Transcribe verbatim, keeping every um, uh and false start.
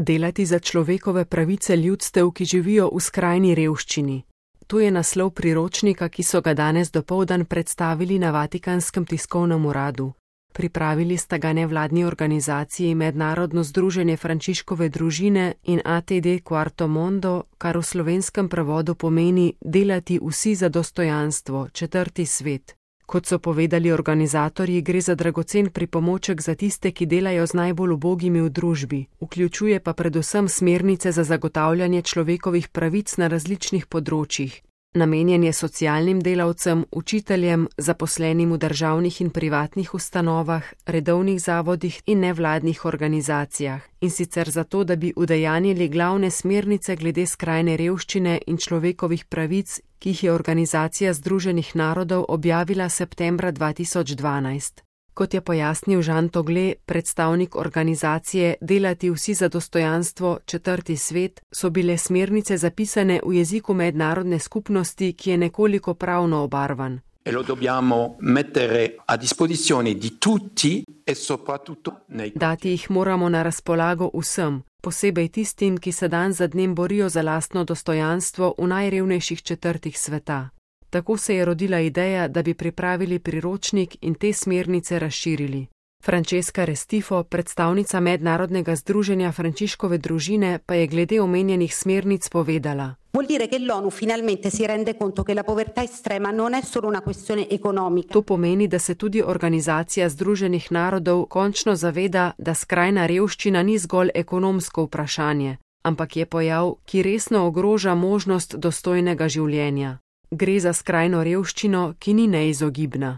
Delati za človekove pravice ljudstev, ki živijo v skrajni revščini. To je naslov priročnika, ki so ga danes dopoldan predstavili na Vatikanskem tiskovnem uradu. Pripravili sta ga nevladni organizaciji Mednarodno združenje Frančiškove družine in A T D Quarto Mondo, kar v slovenskem prevodu pomeni delati vsi za dostojanstvo, četrti svet. Kot so povedali organizatorji, gre za dragocen pripomoček za tiste, ki delajo z najbolj ubogimi v družbi, vključuje pa predvsem smernice za zagotavljanje človekovih pravic na različnih področjih. Namenjen je socialnim delavcem, učiteljem, zaposlenim v državnih in privatnih ustanovah, redovnih zavodih in nevladnih organizacijah, in sicer zato, da bi udejanjili glavne smernice glede skrajne revščine in človekovih pravic, ki jih je Organizacija združenih narodov objavila septembra dva tisoč dvanajst. Kot je pojasnil Žan Togle, predstavnik organizacije Delati vsi za dostojanstvo, četrti svet, so bile smernice zapisane v jeziku mednarodne skupnosti, ki je nekoliko pravno obarvan. E lo dobbiamo mettere a disposizione di tutti e soprattutto nei... Dati jih moramo na razpolago vsem, posebej tistim, ki se dan za dnem borijo za lastno dostojanstvo v najrevnejših četrtih sveta. Tako se je rodila ideja, da bi pripravili priročnik in te smernice razširili. Francesca Restifo, predstavnica Mednarodnega združenja Frančiškove družine, pa je glede omenjenih smernic povedala. Vuol dire che l'ONU finalmente si rende conto che la povertà estrema non è solo una questione economica. To pomeni, da se tudi Organizacija združenih narodov končno zaveda, da skrajna revščina ni zgolj ekonomsko vprašanje, ampak je pojav, ki resno ogroža možnost dostojnega življenja. Gre za skrajno revščino, ki ni neizogibna.